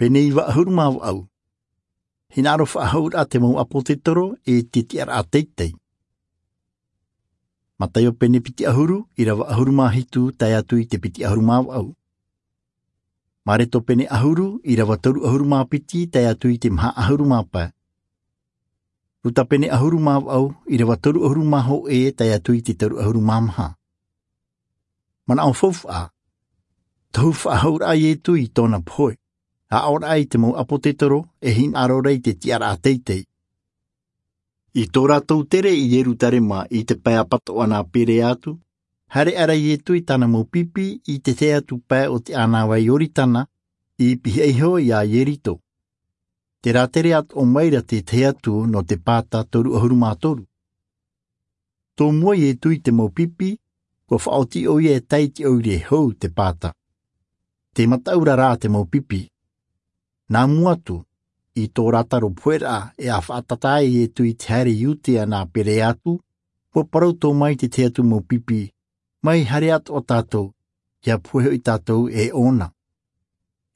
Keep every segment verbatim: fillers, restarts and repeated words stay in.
Pene iva ʻahuru mā vaʻu. Hinaʻaro faʻahou raʻa te mau ʻāpōsetolo e te tiʻaraʻa teitei. Mataio pene piti ʻahuru, ʻirava ʻahuru mā hitu tae atu i te piti ʻahuru mā vaʻu. Mareko pene ʻahuru, ʻirava toru ʻahuru mā piti tae atu i te maha ʻahuru mā pae. Luka pene ʻahuru mā vaʻu, ʻirava toru ʻahuru mā hōʻē tae atu i te toru ʻahuru mā maha. Manaʻo faufaʻa. Tohu faʻahou raʻa Iesu i tōna pohe. Aʻo raʻa i te mau ʻāpōsetolo e hinaʻaro ra i te tiʻaraʻa teitei. I tō rātou tere i Ierusalema i te pae ʻapatoʻa nā Pilato, haere aʻera Iesu i tāna mau pipi i te tahi atu pae o te ʻānāvai Ioritana, i pihaʻi iho iā Ieriko. Terā tere atoʻa maira te tahi atu nō te pāta toru ʻahuru mā toru. Tō mua Iesu i te mau pipi, ʻua faʻaoti ʻoia e tae i te ʻoire hou te pāta. Tē mataʻu ra rā te mau pipi. Nā mua atu, i tō rātou pohe raʻa e faʻatātā ai Iesu i te haere i Iudea nā Pilato, ʻua parau tō mai te tahi atu mau pipi, mai haere atoʻa tātou, ʻia pohe hoʻi tātou e ʻōna.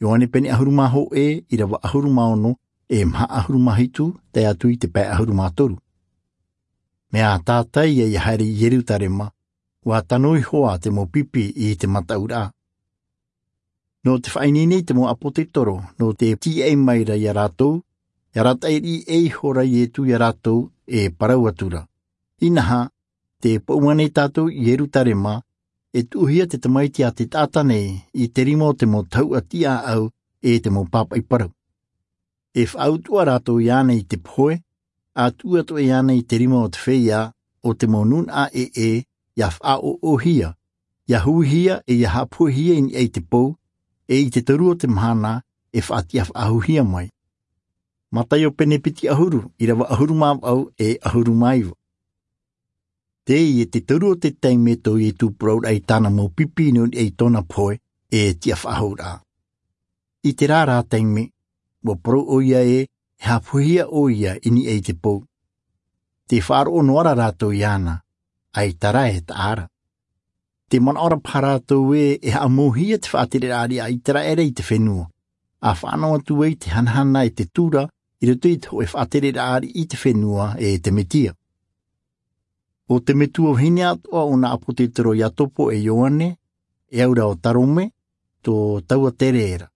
Ioane pene ʻahuru mā hōʻē, ʻirava ʻahuru mā ono, e maha ʻahuru mā hitu, tae atu i te pae ʻahuru mā toru. Mea tātaʻi ia haere i Ierusalema, ʻua tano iho ā te mau pipi i te mataʻu raʻa. Nō te faʻaineine i te mau ʻāpōsetolo, nō te tīaʻi maira iā rātou, ʻia arataʻi riʻi ʻē iho ra Iesu iā rātou, e parau atu ra. Inaha, tē poʻu ana tātou i Ierusalema, e tuʻuhia te tamaiti a te taʻata nei, i te rima o te mau tahuʻa tiʻaʻau, e te mau pāpaʻi parau. E faʻautuʻa rātou iāna i te pohe, ʻa tuʻu atoʻa iāna i te rima o te feiā, o te mau nūnaʻa ʻē, ʻia faʻaʻoʻohia, ʻia huihia e ʻia haʻapohehia i niʻa i te pou, e i te toru o te mahana, e faʻatiʻa faʻahouhia mai. Mataio pene piti ʻahuru, ʻirava ʻahuru mā vaʻu, e ʻahuru mā iva. Teie te toru o te taime tō Iesu parau raʻa i tāna mau pipi nō niʻa i tōna pohe, e tiʻa faʻahou raʻa. I terā rā taime, ʻua parau ʻoia ē, e haʻapohehia ʻoia i niʻa i te pou. Tē faʻaroʻo noa ra rātou iāna, ʻaita rā e taʻa ra. Tē manaʻo ra paha rātou ē, e haʻamauhia te faʻatereraʻa riʻi a Iseraʻela i te fenua. ʻA fānaʻo atu ai te hanahana e te tura, i roto i te hōʻē faʻatereraʻa riʻi i te fenua e te Mesia. ʻO te metua vahine atoʻa o nā ʻāpōsetolo Iakobo e Ioane, e au ra ʻo Salome, tō taua tere ra.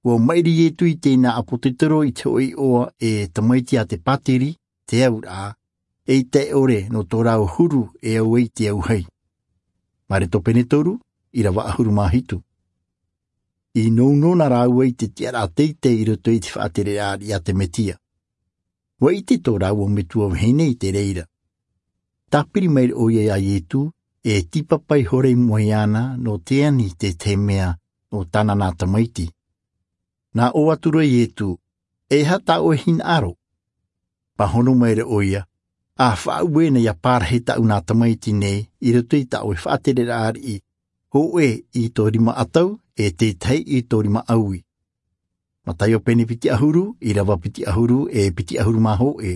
ʻUa maʻiri Iesu i teie nā ʻāpōsetolo i te hōʻē iʻoa e tamaiti a te pātiri, te auraʻa, eʻita e ʻore nō tō rāua huru e au ai te auahi. Mareko pene toru, ʻirava ʻahuru mā hitu. I nounou na rāua i te tiʻaraʻa teitei i roto i te faʻatereraʻa riʻi a te Mesia. ʻUa ʻite tō rāua metua vahine i te reira. Tāpiri maira ʻoia iā Iesu, e tīpapa ihora i mua iāna nō te ani i te tahi mea nō tāna nā tamaiti. Nā ʻō atu ra Iesu, e aha tā ʻoe hinaʻaro? Pāhono maira ʻoia, ʻa faʻaue na ʻia parahi tāʻu nā tamaiti nei i roto i tā ʻoe faʻatereraʻa riʻi, hōʻē i tō rima ʻatau, e te tahi i tō rima ʻaui. Mataio pene piti ʻahuru, ʻirava piti ʻahuru, e piti ʻahuru mā hōʻē.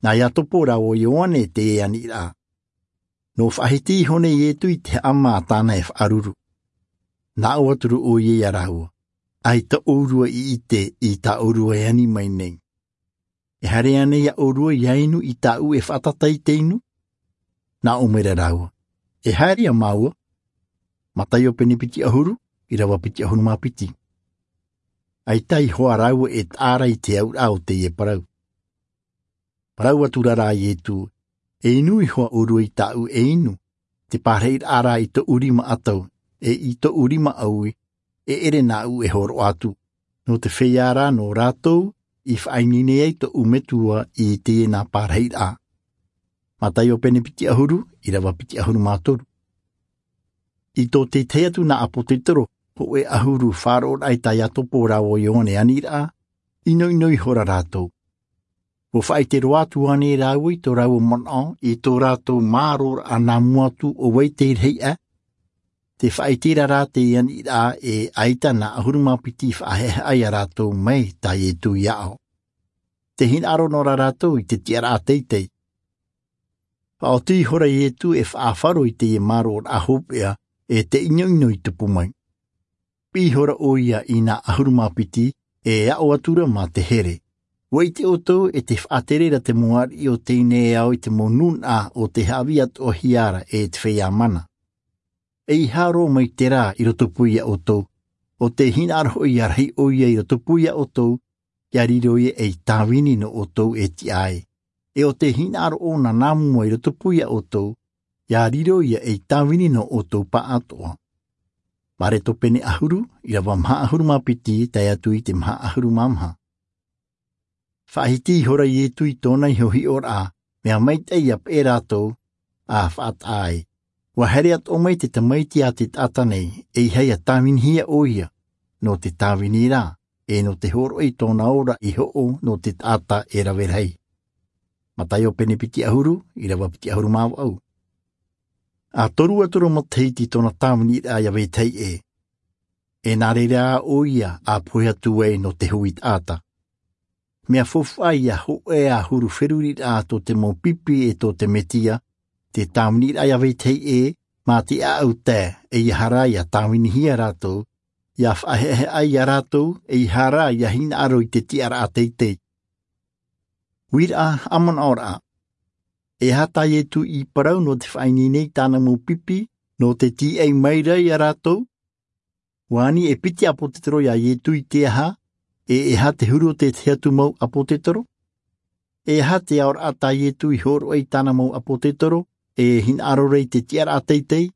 Nā Iakobo rāua ʻo Ioane teie aniraʻa. Nō faʻahiti iho nei Iesu i te haʻama a tāna e faʻaruru. Nā ʻō atu ra ʻoia iā rāua, ʻaita ʻōrua i ʻite i tā ʻōrua e ani mai nei. E haere ānei ʻōrua ʻia inu i tāʻu e faʻatata i te inu? Nā ʻō maira rāua, e haere ā māua. Mataio pene piti ʻahuru, ʻirava piti ʻahuru mā piti. ʻAita iho ā rāua e taʻa ra i te auraʻa o teie parau. Parau atu ra rā Iesu, e inu iho ā ʻōrua i tāʻu e inu, te parahiraʻa rā i tōʻu rima ʻatau, e i tōʻu rima ʻaui, e ʻere nāʻu e hōroʻa atu. Nō te feiā rā nō rātou i faʻaineine ai tōʻu Metua i teie nā parahiraʻa. Mataio pene piti ʻahuru, ʻirava piti ʻahuru mā toru. I tō te tahi atu nā ʻāpōsetolo, hōʻē ʻahuru faʻaroʻo raʻa tā Iakobo rāua ʻo Ioane aniraʻa, ʻinoʻino ihora rātou. ʻUa faʻaʻite roa atu ānei rāua i tō rāua manaʻo, i tō rātou māroraʻa nā mua atu ʻo vai te rahi aʻe? Tē faʻaʻite ra rā te aniraʻa ē ʻaita nā ʻahuru mā piti faʻahaʻehaʻa iā rātou mai tā Iesu i aʻo. Tē hinaʻaro noa ra rātou i te tiʻaraʻa teitei. Faʻaoti ihora Iesu e faʻafaro i teie māroraʻa hopeʻa, e te ʻinoʻino i tupu mai. Piʻi ihora ʻoia i nā ʻahuru mā piti, e aʻo atura mā te here. Ua ʻite ʻoutou e te faʻatere ra te mau ariʻi o teie nei ao i te mau nūnaʻa o te haʻavī atoʻa hia ra e te feiā mana. E i haro mai te rā i roto pū ia ʻoutou, o te hinaʻaro hoʻi ia rahi ʻoia i roto pū ia ʻoutou, ia riro ia ei tāvini nō ʻoutou e tiʻa ai. E o te hinaʻaro ʻōna nā mua i roto pū ia ʻoutou, ia riro ia ei tāvini nō ʻoutou pāʻatoʻa. Mareko pene ʻahuru, ʻirava maha ʻahuru mā piti tae atu i te maha ʻahuru mā maha. Faʻahiti ihora iesu i tōna iho hiʻoraʻa, mea maitaʻi ia peʻe rātou, a faʻataʻa ai. Ua haere atoʻa mai te tamaiti a te taʻata nei, e ia tāvinihia ʻoia nō te tāvini ra, e nō te hōroʻa i tōna ora i hoʻo nō te taʻata e rave rahi. Mataio pene piti ʻahuru, ʻirava piti ʻahuru mā vaʻu. A toru atu ra matahiti tōna tāviniraʻa ia vetahi ʻē. E nā reira ʻoia a pohe atu ai nō te hui taʻata. Mea faufaʻa ia hōʻē ʻahuru feruriraʻa tō te mau pipi e tō te mesia, te tāviniraʻa ia vetahi ʻē, mā te ʻaʻau tae, e ia hara ia tāvinihia rātou, ia faʻaheʻaheʻa ia rātou, e ia hara ia hinaʻaro i te tiʻaraʻa teitei. Uiraʻa, haʻamanaʻoraʻa. E aha tā iesu i parau nō te faʻaineine i tāna mau pipi, nō te tīaʻi mai ra ia rātou? Ua ani e piti ʻāpōsetolo ia iesu i te aha, e e aha te huru o te tahi atu mau ʻāpōsetolo? E aha te aoraʻa tā iesu i hōroʻa i tāna mau ʻāpōsetolo, e hinaʻaro ra i te tiʻaraʻa teitei?